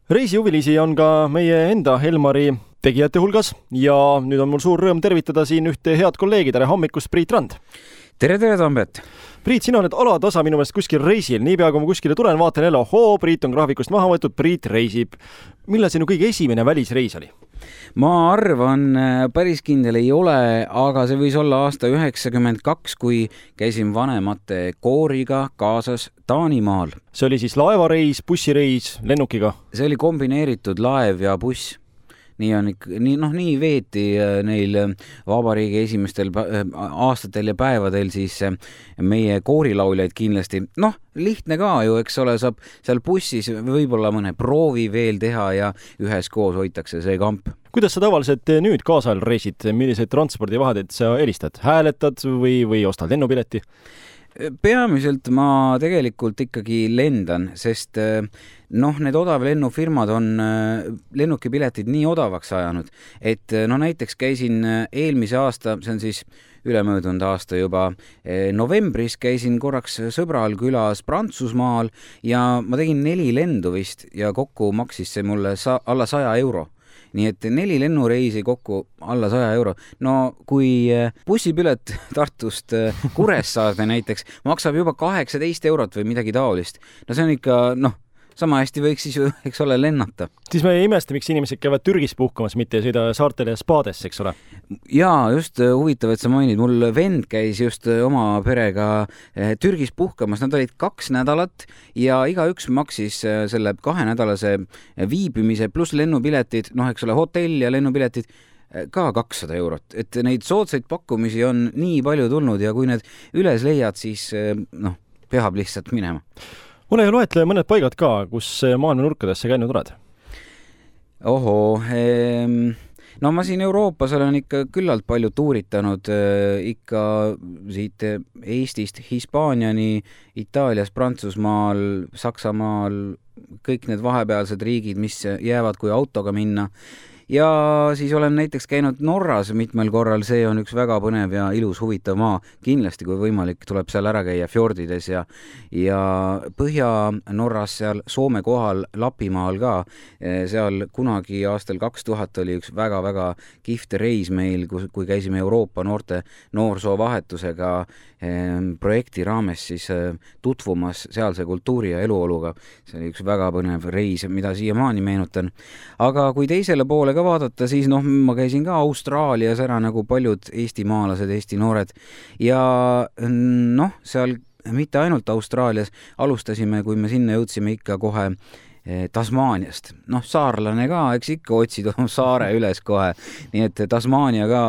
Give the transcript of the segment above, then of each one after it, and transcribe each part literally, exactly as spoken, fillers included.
Reisihuvilisi on ka meie enda Helmari tegijate hulgas ja nüüd on mul suur rõõm tervitada siin ühte head kolleegi. Tere hommikust, Priit Rand! Tere, tere, Tambet! Priit, sina oled alatasa minu meelest kuskil reisil. Niipea kui ma kuskile tulen, vaatan jälle, ohoo, Priit on graafikust maha võetud, Priit reisib. Millal sinu kõige esimene välisreis oli? Ma arvan, päris kindel ei ole, aga see võis olla aasta üheksakümmend kaks, kui käisin vanemate kooriga kaasas Taanimaal. See oli siis laevareis, bussireis, lennukiga? See oli kombineeritud laev ja buss. Nii on ikka, nii, noh, nii veeti neil vabariigi esimestel aastatel ja päevadel siis meie koorilauljaid kindlasti. Noh, lihtne ka ju, eks ole, saab seal bussis võib-olla mõne proovi veel teha ja üheskoos hoitakse see kamp. Kuidas sa tavaliselt nüüd kaasal reisid? Milliseid transpordivahendeid sa eelistad? Hääletad või, või ostad lennupileti? Peamiselt ma tegelikult ikkagi lendan, sest noh, need odavlennufirmad on lennukipiletid nii odavaks ajanud, et no näiteks käisin eelmise aasta, see on siis ülemöödunud aasta juba novembris, käisin korraks sõbral külas Prantsusmaal ja ma tegin neli lendu vist ja kokku maksis see mulle sa- alla saja euro. Nii et neli lennureisi kokku alla saja euro. No kui bussipilet Tartust Kuressaarde näiteks maksab juba kaheksateist eurot või midagi taolist. No see on ikka, noh, sama hästi võiks siis ju, eks ole, lennata. Siis me ei imesta, miks inimesed käivad Türgis puhkamas, mitte sõida saartele ja spaadesse, eks ole? Jaa, just huvitav, et sa mainid. Mul vend käis just oma perega Türgis puhkamas. Nad olid kaks nädalat ja igaüks maksis selle kahenädalase viibimise pluss lennupiletid, noh, eks ole, hotell ja lennupiletid ka kakssada eurot. Et neid soodsaid pakkumisi on nii palju tulnud ja kui need üles leiad, siis noh, peab lihtsalt minema. Ole ja loetle mõned paigad ka, kus maailma nurkadesse käinud oled? Ohoo, ehm, no ma siin Euroopas olen ikka küllalt palju tuuritanud, ikka siit Eestist Hispaaniani, Itaalias, Prantsusmaal, Saksamaal, kõik need vahepealsed riigid, mis jäävad kui autoga minna. Ja siis olen näiteks käinud Norras mitmel korral, see on üks väga põnev ja ilus huvitav maa. Kindlasti, kui võimalik, tuleb seal ära käia fjordides ja, ja Põhja-Norras seal Soome kohal Lapimaal ka. Seal kunagi aastal kaks tuhat oli üks väga-väga kihvt reis meil, kui käisime Euroopa noorte noorsoovahetusega projekti raames siis tutvumas sealse kultuuri ja eluoluga. See oli üks väga põnev reis, mida siiamaani meenutan. Aga kui teisele poole ka vaadata, siis noh, ma käisin ka Austraalias ära nagu paljud eestimaalased, Eesti noored ja noh, seal mitte ainult Austraalias alustasime, kui me sinna jõudsime ikka kohe Tasmaaniast. Noh, saarlane ka, eks ikka otsid oma saare üles kohe. Nii et Tasmaania ka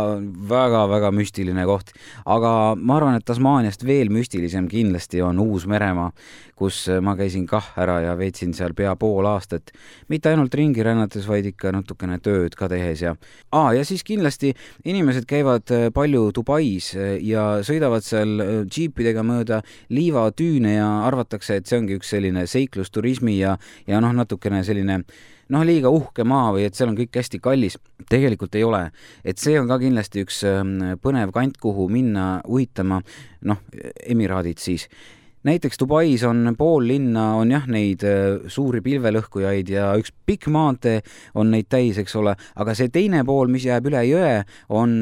väga-väga müstiline koht. Aga ma arvan, et Tasmaaniast veel müstilisem kindlasti on Uus-Meremaa, kus ma käisin kah ära ja veetsin seal pea pool aastat. Mitte ainult ringi rännates, vaid ikka natukene tööd ka tehes. Ja, Aa, ja siis kindlasti inimesed käivad palju Dubais ja sõidavad seal džiipidega mööda liivatüüne ja arvatakse, et see ongi üks selline seiklusturismi ja, ja noh, natukene selline noh, liiga uhke maa või et seal on kõik hästi kallis. Tegelikult ei ole. Et see on ka kindlasti üks põnev kant, kuhu minna uitama, noh, Emiraadid siis. Näiteks Dubais on pool linna, on jah neid suuri pilvelõhkujaid ja üks pikk maantee on neid täis, eks ole, aga see teine pool, mis jääb üle jõe, on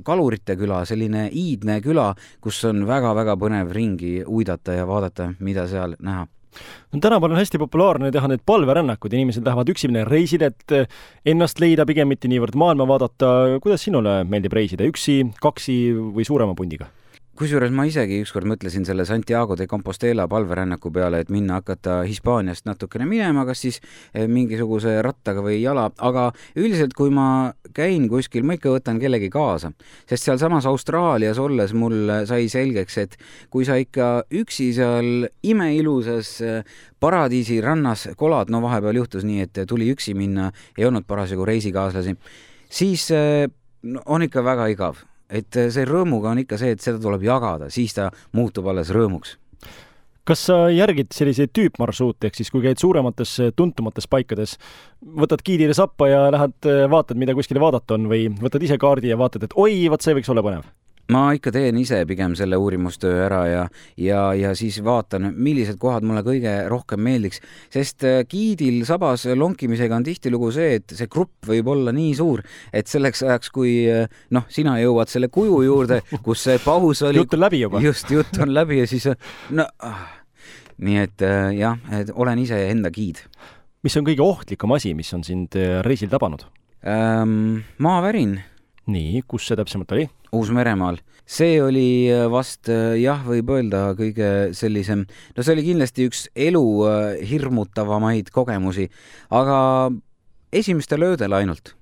Kalurite küla, selline iidne küla, kus on väga-väga põnev ringi uidata ja vaadata, mida seal näha. No, tänapäeval on hästi populaarne teha need palverännakud, inimesed lähevad üksimine reisida, et ennast leida pigem mitte niivõrd maailma vaadata. Kuidas sinule meeldib reisida? Üksi, kaksi või suurema pundiga? Kusjuures ma isegi ükskord mõtlesin selle Santiago de Compostela palverännaku peale, et minna hakata Hispaaniast natukene minema, kas siis mingisuguse rattaga või jala, aga üldiselt kui ma käin kuskil, ma ikka võtan kellegi kaasa, sest seal samas Austraalias olles mul sai selgeks, et kui sa ikka üksi seal imeilusas paradiisi rannas kolad, no vahepeal juhtus nii, et tuli üksi minna, ei olnud parasjagu reisikaaslasi, siis on ikka väga igav. Et see rõõmuga on ikka see, et seda tuleb jagada, siis ta muutub alles rõõmuks. Kas sa järgid selliseid tüüpmarsruute, ehk siis kui käid suuremates tuntumates paikades, võtad giidile sappa ja lähed vaatad, mida kuskile vaadata on või võtad ise kaardi ja vaatad, et oi, vaat see võiks olla põnev? ma ikka teen ise pigem selle uurimustöö ära ja, ja, ja siis vaatan, millised kohad mulle kõige rohkem meeldiks, sest giidil sabas lonkimisega on tihtilugu see, et see grupp võib olla nii suur, et selleks ajaks, kui noh, sina jõuad selle kuju juurde, kus see paus oli. Jutt on läbi juba. Just, jutt on läbi ja siis no, nii et jah, et olen ise enda giid. Mis on kõige ohtlikum asi, mis on sind reisil tabanud? Ähm, maavärin. Nii, kus see täpsemalt oli? Uus-Meremaal. See oli vast, jah, võib öelda kõige sellisem, no see oli kindlasti üks elu hirmutavamaid kogemusi, aga esimeste löödel ainult.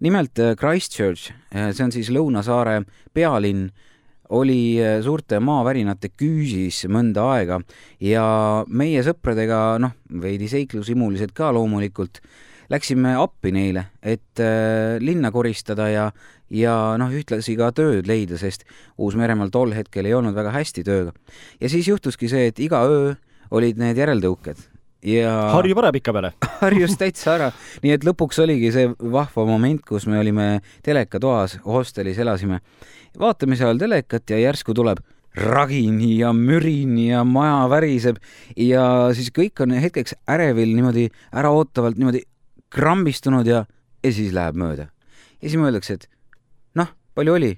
Nimelt Christchurch, see on siis Lõunasaare pealinn, oli suurte maavärinate küüsis mõnda aega ja meie sõpradega, noh, veidi seiklusimulised ka loomulikult, läksime appi neile, et äh, linna koristada ja, ja noh, ühtlasi ka tööd leida, sest Uus-Meremaal tol hetkel ei olnud väga hästi tööga. Ja siis juhtuski see, et iga öö olid need järeldõuked. Ja Harju vara pika peale. Harjus täitsa ära. Nii et lõpuks oligi see vahva moment, kus me olime telekatoas, hostelis elasime. Vaatamise ajal telekat ja järsku tuleb ragin ja mürin ja maja väriseb ja siis kõik on hetkeks ärevil niimoodi äraootavalt niimoodi krambistunud ja, ja siis läheb mööda. Ja siis mõeldakse, et noh, palju oli?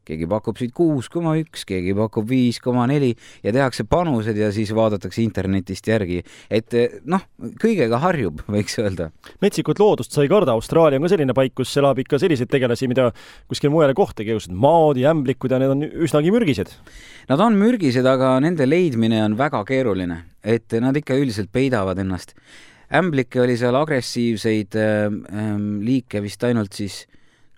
Keegi pakub siit kuus koma üks, keegi pakub viis koma neli ja tehakse panused ja siis vaadatakse internetist järgi. Et noh, kõigega harjub, võiks öelda. Metsikut loodust sai karda. Austraalia on ka selline paik, kus elab ikka selliseid tegelasi, mida kuskil mujale kohta keusad. Maod ja ämblikud ja need on üsnagi mürgised. Nad on mürgised, aga nende leidmine on väga keeruline. Et nad ikka üldiselt peidavad ennast. Ämblikke oli seal agressiivseid ähm, liike vist ainult siis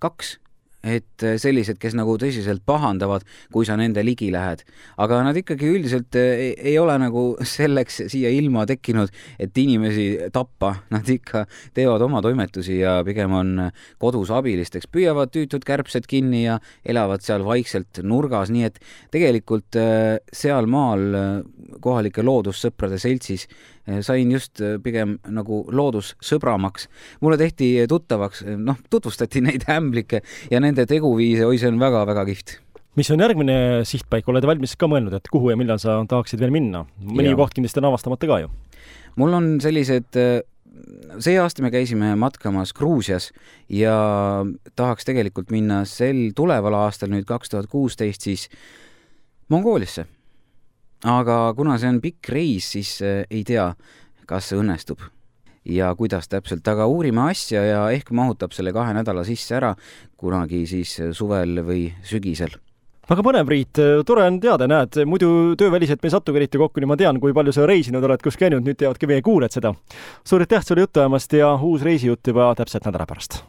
kaks, et sellised, kes nagu tõsiselt pahandavad, kui sa nende ligi lähed. Aga nad ikkagi üldiselt ei, ei ole nagu selleks siia ilma tekkinud, et inimesi tappa. Nad ikka teevad oma toimetusi ja pigem on kodus abilisteks. Püüavad tüütud kärbsed kinni ja elavad seal vaikselt nurgas, nii et tegelikult seal maal kohalike loodussõprade seltsis sain just pigem nagu loodussõbramaks. Mulle tehti tuttavaks, noh, tutvustati neid ämblikke ja nende teguviise, oi, see on väga-väga kihvt. Mis on järgmine sihtpaik? Oled valmis ka mõelnud, et kuhu ja millal sa tahaksid veel minna? Mõni koht kindlasti on avastamata ka ju. Mul on sellised, see aasta me käisime matkamas Gruusias ja tahaks tegelikult minna sel tuleval aastal, nüüd kaks tuhat kuusteist, siis Mongooliasse. Aga kuna see on pikk reis, siis ei tea, kas see õnnestub ja kuidas täpselt, aga uurime asja ja ehk mahutab selle kahe nädala sisse ära kunagi siis suvel või sügisel. Väga põnev, Priit, tore on teada, näed, muidu tööväliselt me ei satugi eriti kokku, nii ma tean, kui palju sa reisinud oled, kus käinud, nüüd teavadki meie kuuled seda. Suur aitäh sulle juttu ajamast ja uus reisijutt juba täpselt nädala pärast.